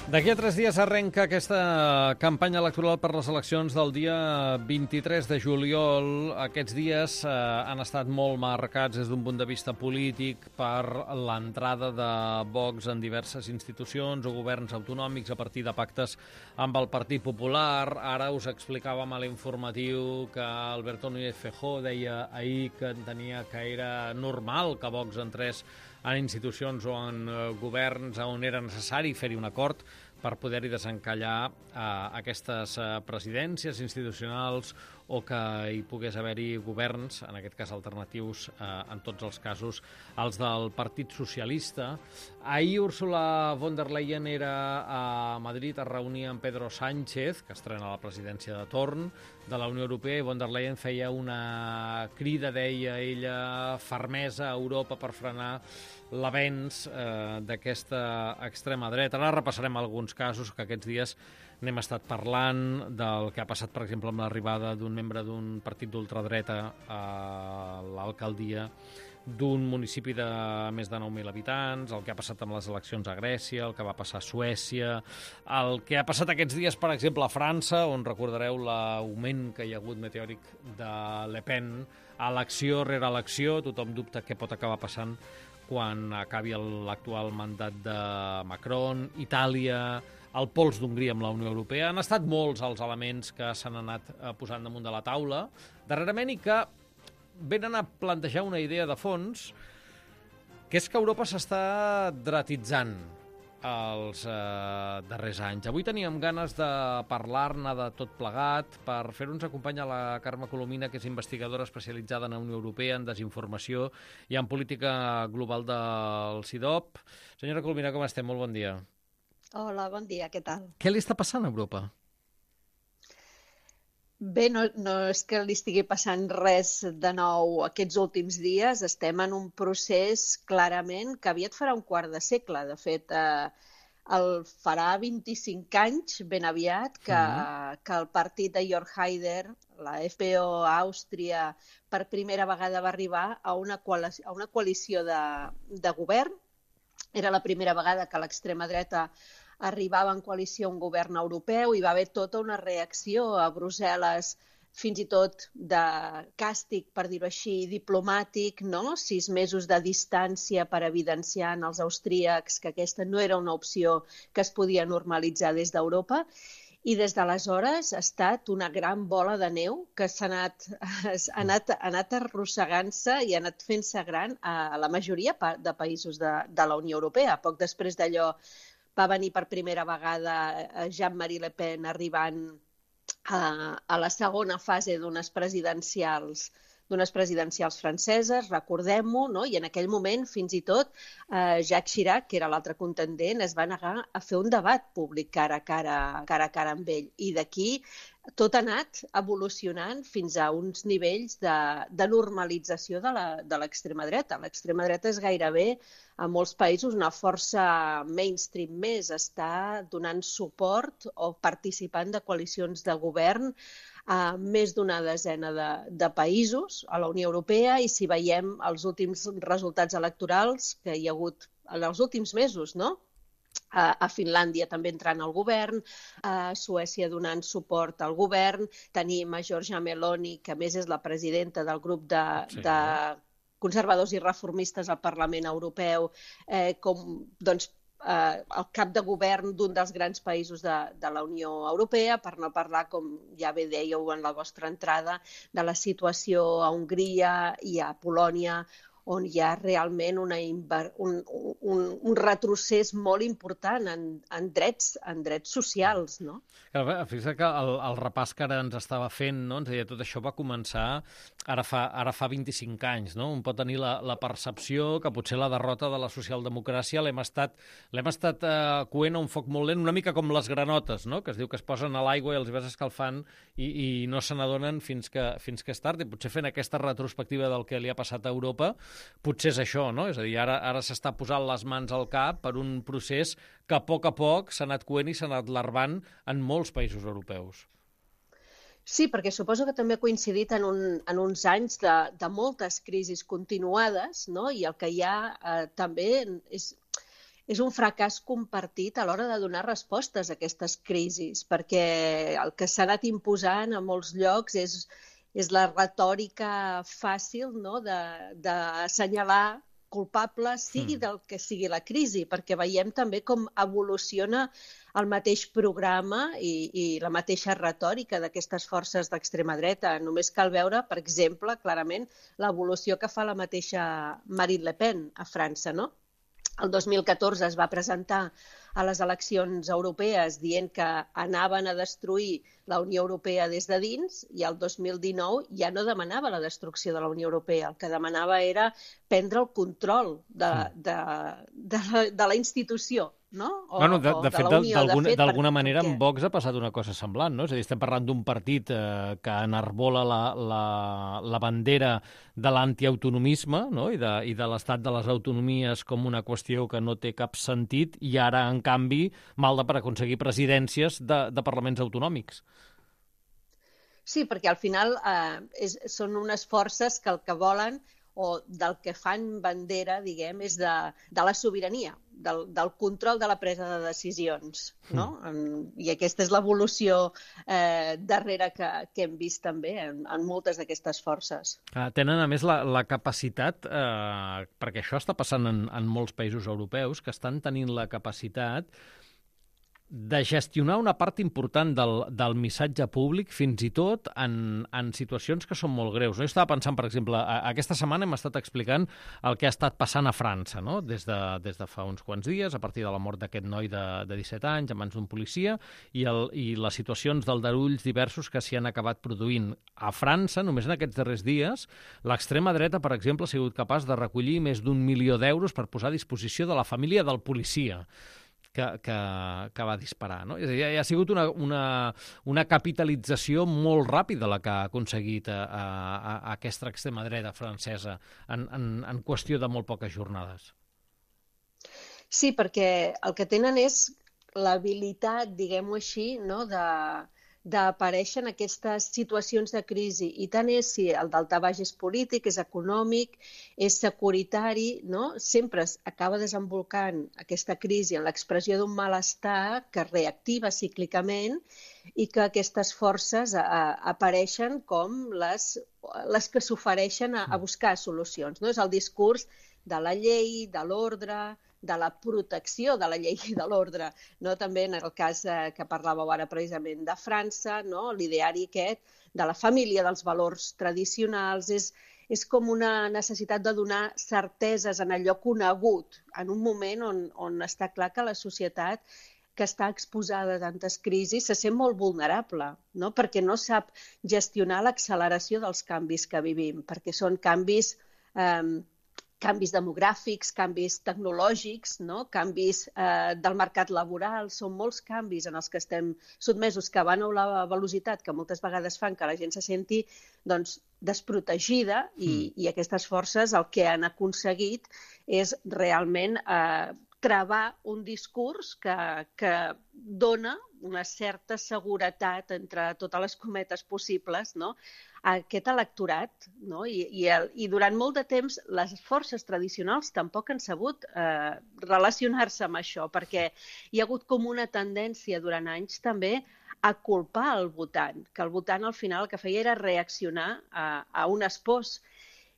D'aquí a 3 dies arrenca aquesta campanya electoral per les eleccions del dia 23 de juliol. Aquests dies han estat molt marcats des d'un punt de vista polític per l'entrada de Vox en diverses institucions o governs autonòmics a partir de pactes amb el Partit Popular. Ara us explicàvem a l'informatiu que Alberto Núñez Feijóo deia ahir que entenia que era normal que Vox entrés en institucions o en governs on era necessari fer-hi un acord per poder-hi desencallar aquestes presidències institucionals o que hi pogués haver-hi governs, en aquest cas alternatius, en tots els casos, els del Partit Socialista. Ahir Ursula von der Leyen era a Madrid, es reunia amb Pedro Sánchez, que estrena la presidència de torn de la Unió Europea, i von der Leyen feia una crida, deia ella, fermesa a Europa per frenar l'avenç d'aquesta extrema dreta. Ara repassarem alguns casos que aquests dies n'hem estat parlant, del que ha passat, per exemple, amb l'arribada d'un membre d'un partit d'ultradreta a l'alcaldia d'un municipi de més de 9.000 habitants, el que ha passat amb les eleccions a Grècia, el que va passar a Suècia, el que ha passat aquests dies, per exemple, a França, on recordareu l'augment que hi ha hagut meteòric de Le Pen, elecció rere elecció, tothom dubta què pot acabar passant quan acabi l'actual mandat de Macron, Itàlia, el pols d'Hongria amb la Unió Europea. Han estat molts els elements que s'han anat posant damunt de la taula darrerament i que venen a plantejar una idea de fons, que és que Europa s'està dretitzant els darrers anys. Avui teníem ganes de parlar-ne de tot plegat. Per fer-ho ens acompanya la Carme Colomina, que és investigadora especialitzada en la Unió Europea, en desinformació i en política global del CIDOB. Senyora Colomina, com estem? Molt bon dia. Hola, bon dia, què tal? Què li està passant a Europa? Bé, no és que li estigui passant res de nou aquests últims dies. Estem en un procés clarament que aviat farà un quart de segle. De fet, farà 25 anys, ben aviat, que el partit de Jörg Haider, la FPÖ a Àustria, per primera vegada va arribar a una coalició de govern. Era la primera vegada que l'extrema dreta arribava en coalició a un govern europeu i va haver tota una reacció a Brussel·les, fins i tot de càstig, per dir-ho així, diplomàtic, no? 6 mesos de distància per evidenciar als austríacs que aquesta no era una opció que es podia normalitzar des d'Europa. I des d'aleshores ha estat una gran bola de neu que ha anat arrossegant-se i ha anat fent-se gran a la majoria de països de la Unió Europea. Poc després d'allò va venir per primera vegada Jean-Marie Le Pen arribant a la segona fase d'unes presidencials franceses, recordem-ho, no? I en aquell moment, fins i tot, Jacques Chirac, que era l'altre contendent, es va negar a fer un debat públic cara a cara amb ell. I d'aquí tot ha anat evolucionant fins a uns nivells de normalització de l'extrema dreta. L'extrema dreta és gairebé, a molts països, una força mainstream més. Està donant suport o participant de coalicions de govern a més d'una desena de països a la Unió Europea, i si veiem els últims resultats electorals que hi ha hagut en els últims mesos, no? A Finlàndia també entrant al govern, a Suècia donant suport al govern, tenim a Giorgia Meloni, que a més és la presidenta del grup de conservadors i reformistes al Parlament Europeu, com el cap de govern d'un dels grans països de la Unió Europea, per no parlar, com ja bé dèieu en la vostra entrada, de la situació a Hongria i a Polònia, on hi ha realment un retrocés molt important en drets socials, no? Fixa't que el repàs que ara ens estava fent, no? Ens deia, tot això va començar ara fa 25 anys, no? Un pot tenir la percepció que potser la derrota de la socialdemocràcia l'hem estat coent a un foc molt lent, una mica com les granotes, no? Que es diu que es posen a l'aigua i els vas escalfant i no se n'adonen fins que és tard. I potser fent aquesta retrospectiva del que li ha passat a Europa, potser és això, no? És a dir, ara s'està posant les mans al cap per un procés que a poc s'ha anat coent i s'ha anat larvant en molts països europeus. Sí, perquè suposo que també ha coincidit en uns anys de moltes crisis continuades, no? I el que hi ha també és un fracàs compartit a l'hora de donar respostes a aquestes crisis, perquè el que s'ha anat imposant a molts llocs és la retòrica fàcil, no?, d'assenyalar culpables, sigui del que sigui la crisi, perquè veiem també com evoluciona el mateix programa i la mateixa retòrica d'aquestes forces d'extrema dreta. Només cal veure, per exemple, clarament l'evolució que fa la mateixa Marine Le Pen a França, no? El 2014 es va presentar a les eleccions europees dient que anaven a destruir la Unió Europea des de dins, i el 2019 ja no demanava la destrucció de la Unió Europea. El que demanava era prendre el control de la institució, no? De fet, d'alguna manera, amb Vox ha passat una cosa semblant, no? És a dir, estem parlant d'un partit que enarbola la bandera de l'antiautonomisme, no?, i de l'estat de les autonomies com una qüestió que no té cap sentit, i ara, en canvi, malda per aconseguir presidències de parlaments autonòmics. Sí, perquè al final són unes forces que el que volen, o del que fan bandera, diguem, és de la sobirania, del control de la presa de decisions, no? I aquesta és l'evolució darrere que hem vist també en moltes d'aquestes forces. Tenen, a més, la capacitat, perquè això està passant en molts països europeus, que estan tenint la capacitat de gestionar una part important del missatge públic, fins i tot en situacions que són molt greus. Jo estava pensant, per exemple, aquesta setmana hem estat explicant el que ha estat passant a França, no?, des de fa uns quants dies, a partir de la mort d'aquest noi de 17 anys a mans d'un policia, i les situacions d'aldarulls diversos que s'hi han acabat produint. A França, només en aquests darrers dies, l'extrema dreta, per exemple, ha sigut capaç de recollir més d'1 milió d'euros per posar a disposició de la família del policia que va disparar, no? És a dir, ha sigut una capitalització molt ràpida la que ha aconseguit aquesta extrema dreta francesa en qüestió de molt poques jornades. Sí, perquè el que tenen és l'habilitat, diguem-ho així, no?, d'aparèixer en aquestes situacions de crisi. I tant és si el daltabaix és polític, és econòmic, és securitari, no? Sempre acaba desembolcant aquesta crisi en l'expressió d'un malestar que es reactiva cíclicament i que aquestes forces apareixen com les que s'ofereixen a buscar solucions, no? És el discurs de la llei, de l'ordre, de la protecció de la llei i de l'ordre, no? També en el cas que parlàveu ara precisament de França, no?, l'ideari aquest de la família, dels valors tradicionals, és com una necessitat de donar certeses en allò conegut, en un moment on està clar que la societat que està exposada a tantes crisis se sent molt vulnerable, no?, perquè no sap gestionar l'acceleració dels canvis que vivim, perquè són canvis demogràfics, canvis tecnològics, no?, canvis del mercat laboral, són molts canvis en els que estem sotmesos, que van a la velocitat que moltes vegades fan que la gent se senti, doncs, desprotegida, i aquestes forces el que han aconseguit és realment travar un discurs que dona una certa seguretat, entre totes les cometes possibles, no?, a aquest electorat, no? I durant molt de temps les forces tradicionals tampoc han sabut relacionar-se amb això, perquè hi ha hagut com una tendència durant anys també a culpar el votant, que el votant al final el que feia era reaccionar a un espòs.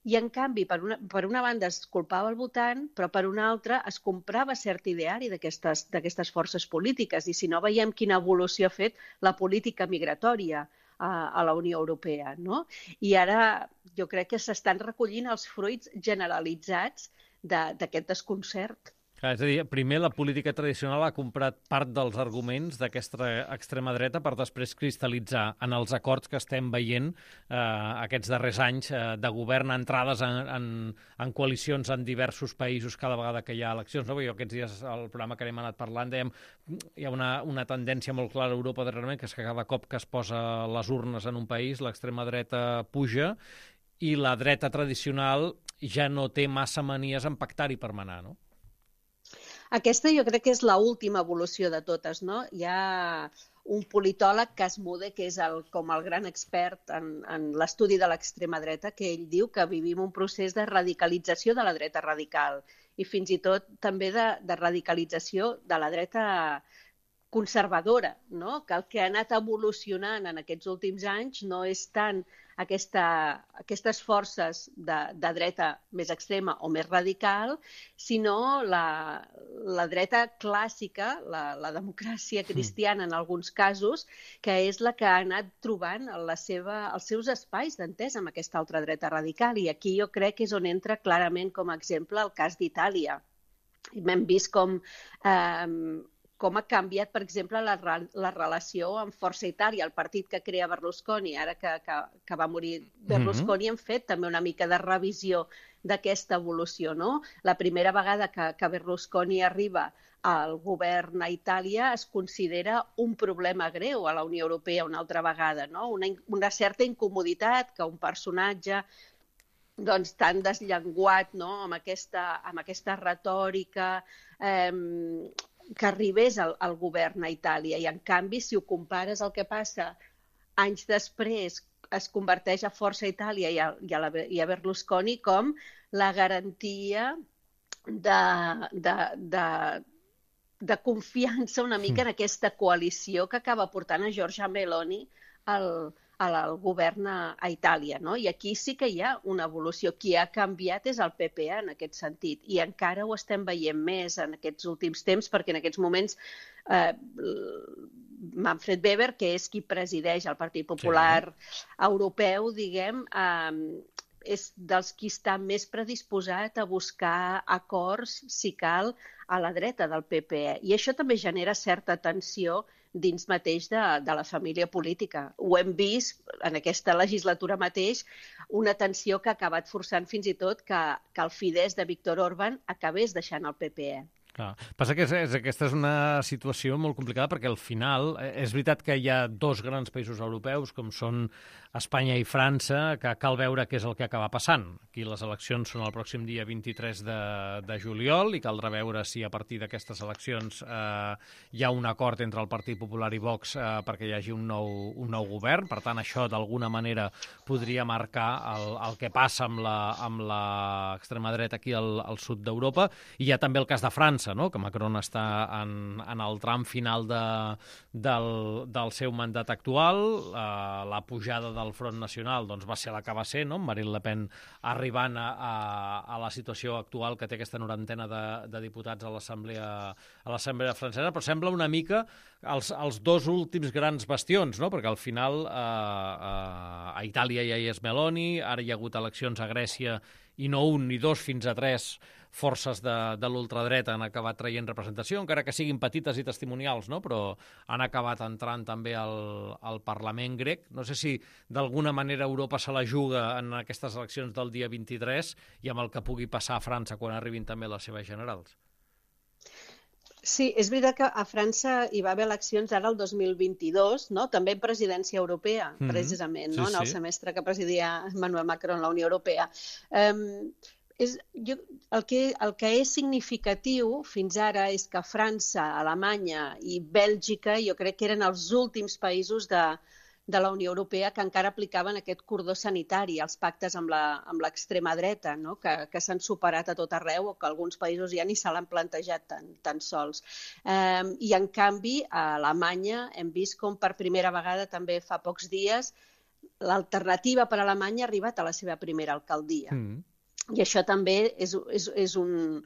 I, en canvi, per una banda es culpava el votant, però per una altra es comprava cert ideari d'aquestes forces polítiques. I si no, veiem quina evolució ha fet la política migratòria a la Unió Europea, no? I ara jo crec que s'estan recollint els fruits generalitzats d'aquest desconcert. Clar, és a dir, primer la política tradicional ha comprat part dels arguments d'aquesta extrema dreta per després cristal·litzar en els acords que estem veient aquests darrers anys de govern, entrades en coalicions en diversos països cada vegada que hi ha eleccions. No? Jo aquests dies, al programa que hem anat parlant, dèiem hi ha una tendència molt clara a Europa darrerament, que és que cada cop que es posa les urnes en un país, l'extrema dreta puja i la dreta tradicional ja no té massa manies en pactar-hi per manar, no? Aquesta jo crec que és l'última evolució de totes, no? Hi ha un politòleg, Cas Mudde, que és com el gran expert en l'estudi de l'extrema dreta, que ell diu que vivim un procés de radicalització de la dreta radical. i fins i tot també de radicalització de la dreta conservadora, no? Que el que ha anat evolucionant en aquests últims anys no és tant aquestes forces de dreta més extrema o més radical, sinó la dreta clàssica, la democràcia cristiana en alguns casos, que és la que ha anat trobant els seus espais d'entesa amb aquesta altra dreta radical. I aquí jo crec que és on entra clarament com a exemple el cas d'Itàlia. Hem vist com ha canviat, per exemple, la relació amb Força Itàlia, el partit que crea Berlusconi. Ara que va morir Berlusconi, hem fet també una mica de revisió d'aquesta evolució, no? La primera vegada que Berlusconi arriba al govern a Itàlia es considera un problema greu a la Unió Europea una altra vegada, no? Una certa incomoditat que un personatge tan desllenguat, no? amb aquesta retòrica que arribés al govern a Itàlia. I, en canvi, si ho compares el que passa anys després, es converteix a Força Itàlia i a Berlusconi com la garantia de confiança una mica en aquesta coalició que acaba portant a Giorgia Meloni al govern a Itàlia, no? I aquí sí que hi ha una evolució. Qui ha canviat és el PP en aquest sentit, i encara ho estem veient més en aquests últims temps, perquè en aquests moments Manfred Weber, que és qui presideix el Partit Popular Europeu, diguem, és dels qui està més predisposat a buscar acords, si cal, a la dreta del PPE. I això també genera certa tensió dins mateix de la família política. Ho hem vist en aquesta legislatura mateix, una tensió que ha acabat forçant fins i tot que el Fidesz de Viktor Orbán acabés deixant el PPE. Clar. Passa que aquesta és una situació molt complicada perquè al final és veritat que hi ha dos grans països europeus com són Espanya i França, que cal veure què és el que acaba passant. Aquí les eleccions són el pròxim dia 23 de juliol i caldrà veure si a partir d'aquestes eleccions hi ha un acord entre el Partit Popular i Vox perquè hi hagi un nou govern. Per tant, això d'alguna manera podria marcar el que passa amb l'extrema dreta aquí al sud d'Europa. I hi ha també el cas de França, no? Que Macron està en el tram final del seu mandat actual. La pujada del Front Nacional va ser la que va ser, no? Marine Le Pen arribant a la situació actual que té aquesta 90 de diputats a l'Assemblea francesa, però sembla una mica els dos últims grans bastions, no? Perquè al final a Itàlia ja hi és Meloni, ara hi ha hagut eleccions a Grècia i no un ni dos fins a tres forces de l'ultradreta han acabat traient representació, encara que siguin petites i testimonials, no? Però han acabat entrant també al Parlament grec. No sé si d'alguna manera Europa se la juga en aquestes eleccions del dia 23 i amb el que pugui passar a França quan arribin també les seves generals. Sí, és veritat que a França hi va haver eleccions ara el 2022, no? També en presidència europea, precisament, no? En el semestre que presidia Emmanuel Macron la Unió Europea. El que és significatiu fins ara és que França, Alemanya i Bèlgica jo crec que eren els últims països de la Unió Europea que encara aplicaven aquest cordó sanitari, els pactes amb l'extrema dreta, no? Que s'han superat a tot arreu o que alguns països ja ni se l'han plantejat tan sols. I en canvi a Alemanya hem vist com per primera vegada també fa pocs dies l'alternativa per a Alemanya ha arribat a la seva primera alcaldia. I això també és un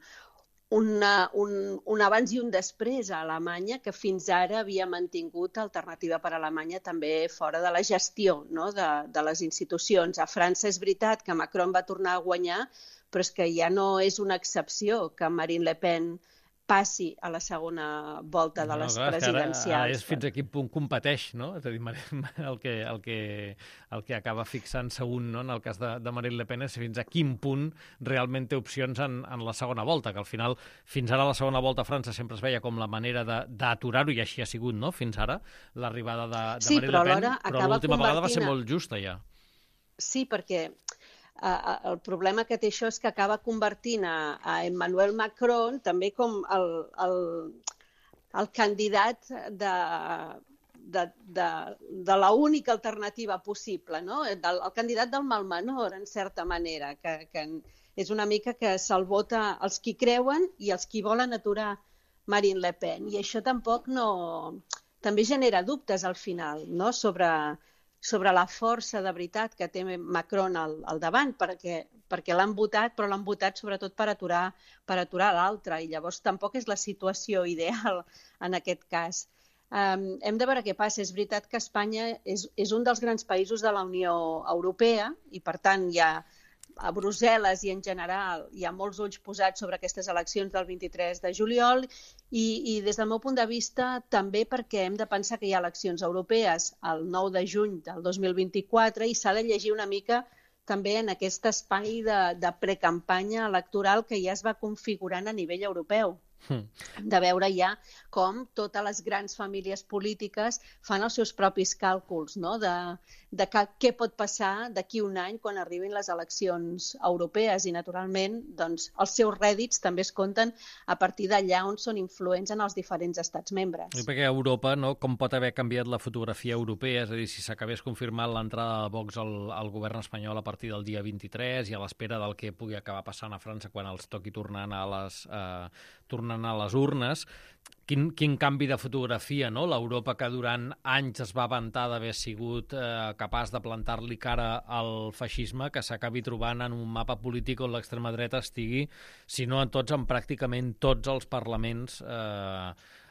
abans i un després a Alemanya, que fins ara havia mantingut Alternativa per Alemanya també fora de la gestió, no? de les institucions. A França és veritat que Macron va tornar a guanyar, però és que ja no és una excepció que Marine Le Pen passi a la segona volta de les presidencials. Ara és fins a quin punt competeix, no? És a dir, el que acaba fixant-se un, no? En el cas de Marine Le Pen és fins a quin punt realment té opcions en la segona volta, que al final, fins ara la segona volta a França sempre es veia com la manera d'aturar-ho, i així ha sigut, no? Fins ara, l'arribada de Marine Le Pen, però l'última vegada va ser molt justa ja. Sí, perquè el problema que té això és que acaba convertint a Emmanuel Macron també com el candidat de l'única alternativa possible, no? El candidat del mal menor, en certa manera, que És una mica que se'l vota els qui creuen i els qui volen aturar Marine Le Pen. I això tampoc també genera dubtes al final, no? sobre la força de veritat que té Macron al davant, perquè l'han votat, però l'han votat sobretot per aturar l'altre, i llavors tampoc és la situació ideal en aquest cas. Hem de veure què passa. És veritat que Espanya és un dels grans països de la Unió Europea i, per tant, a Brussel·les i en general hi ha molts ulls posats sobre aquestes eleccions del 23 de juliol i des del meu punt de vista també perquè hem de pensar que hi ha eleccions europees el 9 de juny del 2024 i s'ha de llegir una mica també en aquest espai de precampanya electoral que ja es va configurant a nivell europeu. De veure ja com totes les grans famílies polítiques fan els seus propis càlculs, no? de què pot passar d'aquí un any quan arribin les eleccions europees i, naturalment, doncs, els seus rèdits també es compten a partir d'allà on són influents en els diferents estats membres. I perquè Europa, no, com pot haver canviat la fotografia europea, és a dir, si s'acabés confirmant l'entrada de Vox al govern espanyol a partir del dia 23 i a l'espera del que pugui acabar passant a França quan els toqui tornant a les urnes, quin canvi de fotografia, no? L'Europa que durant anys es va vantar d'haver sigut capaç de plantar-li cara al feixisme, que s'acabi trobant en un mapa polític on l'extrema dreta estigui, si no en pràcticament tots els parlaments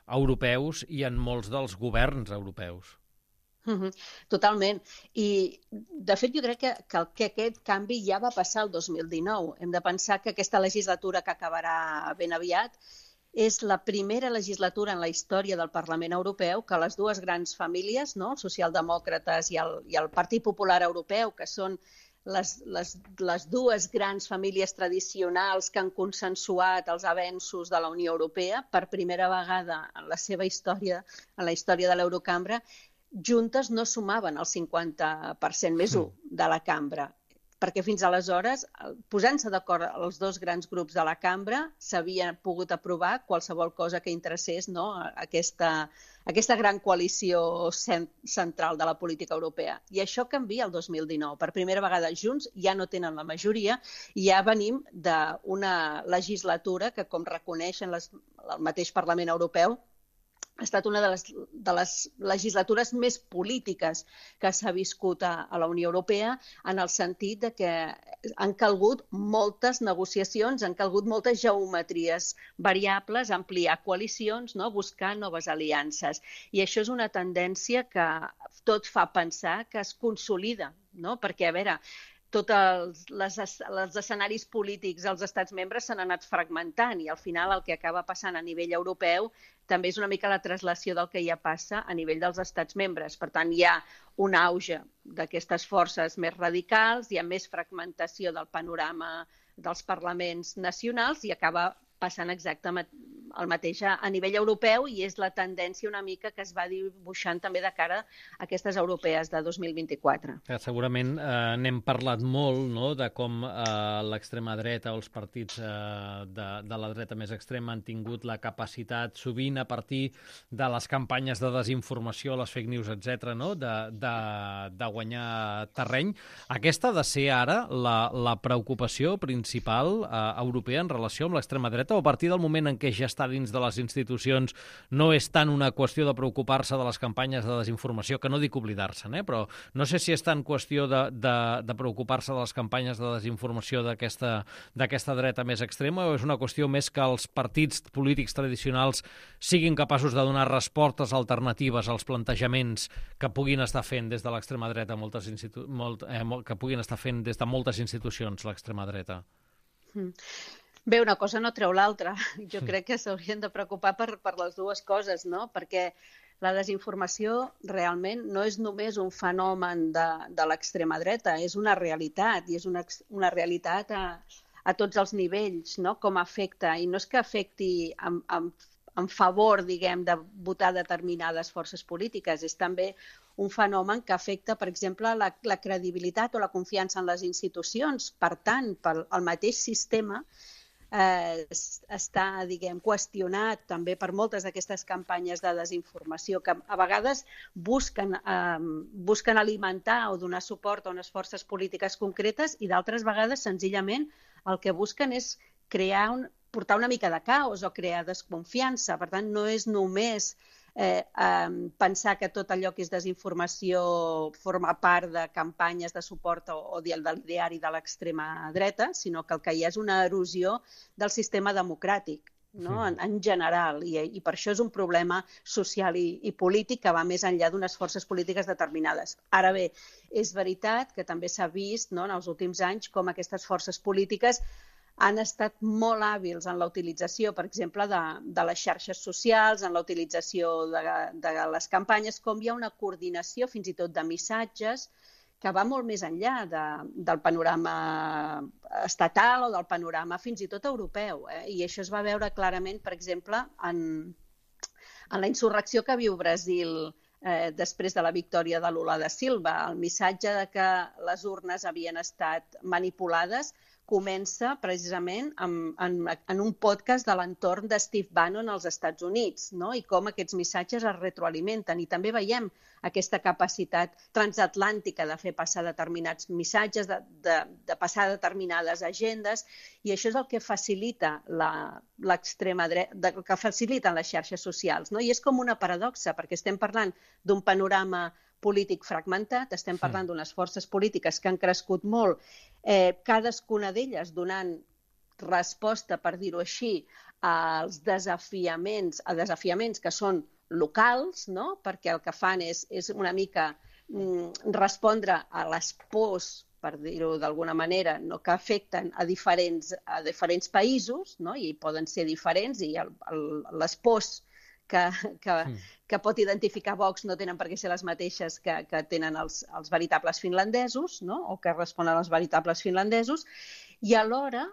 europeus i en molts dels governs europeus. Totalment. I, de fet, jo crec que aquest canvi ja va passar el 2019. Hem de pensar que aquesta legislatura que acabarà ben aviat és la primera legislatura en la història del Parlament Europeu que les dues grans famílies, no? Els socialdemòcrates i el Partit Popular Europeu, que són les dues grans famílies tradicionals que han consensuat els avenços de la Unió Europea per primera vegada en la seva història, en la història de l'Eurocambra, juntes no sumaven el 50% més 1 de la cambra, perquè fins aleshores, posant-se d'acord els dos grans grups de la cambra, s'havia pogut aprovar qualsevol cosa que interessés, no? aquesta gran coalició central de la política europea. I això canvia el 2019. Per primera vegada junts ja no tenen la majoria i ja venim d'una legislatura que, com reconeixen el mateix Parlament Europeu, ha estat una de les legislatures més polítiques que s'ha viscut a la Unió Europea, en el sentit de que han calgut moltes negociacions, han calgut moltes geometries variables, ampliar coalicions, no? Buscar noves aliances. I això és una tendència que tot fa pensar que es consolida, no? Perquè, a veure, tots els escenaris polítics als estats membres s'han anat fragmentant i al final el que acaba passant a nivell europeu també és una mica la traslació del que ja passa a nivell dels estats membres. Per tant, hi ha un auge d'aquestes forces més radicals, hi ha més fragmentació del panorama dels parlaments nacionals i acaba passant exactament el mateix a nivell europeu i és la tendència una mica que es va dibuixant també de cara a aquestes europees de 2024. Segurament n'hem parlat molt, no?, de com l'extrema dreta o els partits de la dreta més extrema han tingut la capacitat, sovint a partir de les campanyes de desinformació, les fake news, etc., no?, de guanyar terreny. Aquesta ha de ser ara la preocupació principal europea en relació amb l'extrema dreta, o a partir del moment en què ja està dins de les institucions no és tant una qüestió de preocupar-se de les campanyes de desinformació, que no dic oblidar-se'n, però no sé si és tant qüestió de preocupar-se de les campanyes de desinformació d'aquesta dreta més extrema, o és una qüestió més que els partits polítics tradicionals siguin capaços de donar respostes alternatives als plantejaments que puguin estar fent des de l'extrema dreta, que puguin estar fent des de moltes institucions l'extrema dreta? Bé, una cosa no treu l'altra. Jo crec que s'haurien de preocupar per les dues coses, no? Perquè la desinformació realment no és només un fenomen de l'extrema dreta, és una realitat, i és una realitat a tots els nivells, no? Com afecta, i no és que afecti en favor, diguem, de votar determinades forces polítiques, és també un fenomen que afecta, per exemple, la credibilitat o la confiança en les institucions. Per tant, pel mateix sistema està, diguem, qüestionat també per moltes d'aquestes campanyes de desinformació que a vegades busquen alimentar o donar suport a unes forces polítiques concretes i d'altres vegades senzillament el que busquen és portar una mica de caos o crear desconfiança. Per tant, no és només pensar que tot allò que és desinformació forma part de campanyes de suport o del ideari de l'extrema dreta, sinó que el que hi ha és una erosió del sistema democràtic, no? En general, i per això és un problema social i polític que va més enllà d'unes forces polítiques determinades. Ara bé, és veritat que també s'ha vist, no, en els últims anys com aquestes forces polítiques han estat molt hàbils en la utilització, per exemple, de les xarxes socials, en la utilització de les campanyes, com hi ha una coordinació fins i tot de missatges que va molt més enllà del panorama estatal o del panorama fins i tot europeu. I això es va veure clarament, per exemple, en la insurrecció que viu Brasil després de la victòria de Lula da Silva. El missatge de que les urnes havien estat manipulades comença precisament en un podcast de l'entorn de Steve Bannon als Estats Units, no? I com aquests missatges es retroalimenten. I també veiem aquesta capacitat transatlàntica de fer passar determinats missatges, de passar determinades agendes, i això és el que facilita l'extrema dreta, el que faciliten les xarxes socials, no? I és com una paradoxa, perquè estem parlant d'un panorama polític fragmentat, estem parlant d'unes forces polítiques que han crescut molt, cadascuna d'elles donant resposta, per dir-ho així, als desafiaments que són locals, no? Perquè el que fan és una mica respondre a les pors, per dir-ho d'alguna manera, no? Que afecten a diferents països, no? I poden ser diferents, i les pors que pot identificar Vox no tenen per què ser les mateixes que tenen els veritables finlandesos, no? O que responen als veritables finlandesos, i alhora,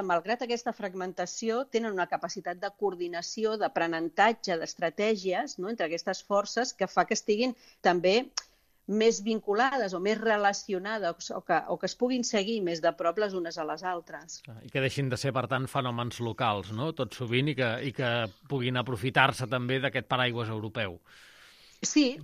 malgrat aquesta fragmentació, tenen una capacitat de coordinació, d'aprenentatge, d'estratègies, no? Entre aquestes forces que fa que estiguin també més vinculades o més relacionades o que es puguin seguir més de prop les unes a les altres. I que deixin de ser, per tant, fenòmens locals, no? Tot sovint, i que puguin aprofitar-se també d'aquest paraigües europeu. Sí,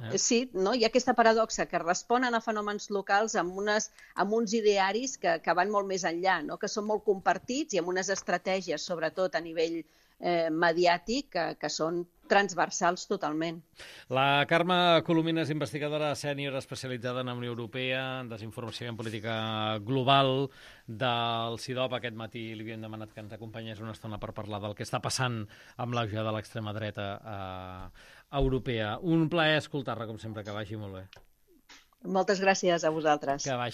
no? Hi ha aquesta paradoxa que responen a fenòmens locals amb uns idearis que van molt més enllà, no? Que són molt compartits i amb unes estratègies, sobretot a nivell mediàtic, que són transversals totalment. La Carme Colomina és investigadora sènior especialitzada en Unió Europea, en desinformació i en política global del CIDOB. Aquest matí li havíem demanat que ens acompanyés una estona per parlar del que està passant amb l'auge de l'extrema dreta europea. Un plaer escoltar-la, com sempre, que vagi molt bé. Moltes gràcies a vosaltres. Que vagi